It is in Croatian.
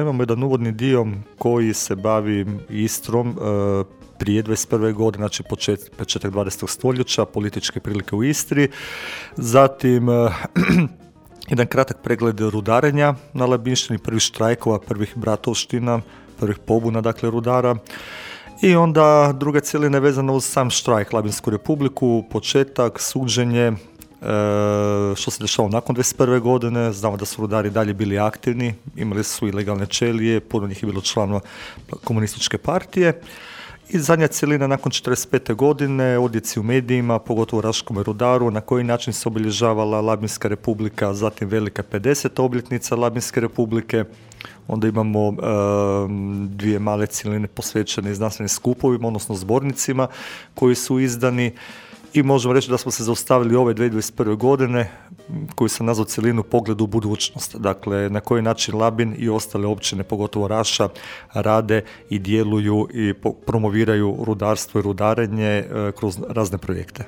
Imamo jedan uvodni dio koji se bavi Istrom prije 21. godine, znači početak 20. stoljeća, političke prilike u Istri. Zatim jedan kratak pregled rudarenja na Labinštini, prvih štrajkova, prvih bratovština, prvih pobuna, dakle rudara. I onda druga cjelina je vezana uz sam štrajk, Labinsku republiku, početak, suđenje, što se dešavalo nakon 21. godine. Znamo da su rudari dalje bili aktivni, imali su ilegalne ćelije, puno njih je bilo članova komunističke partije. I zadnja cjelina nakon 45. godine, odjeci u medijima, pogotovo u Raškome rudaru, na koji način se obilježavala Labinska republika, zatim velika 50. obljetnica Labinske republike. Onda imamo dvije male cjeline posvećene znanstvenim skupovima, odnosno zbornicima koji su izdani. I možemo reći da smo se zaustavili ove 2021. godine koju sam nazvao cjelinu Pogled u budućnost. Dakle, na koji način Labin i ostale općine, pogotovo Raša, rade i djeluju i promoviraju rudarstvo i rudarenje kroz razne projekte.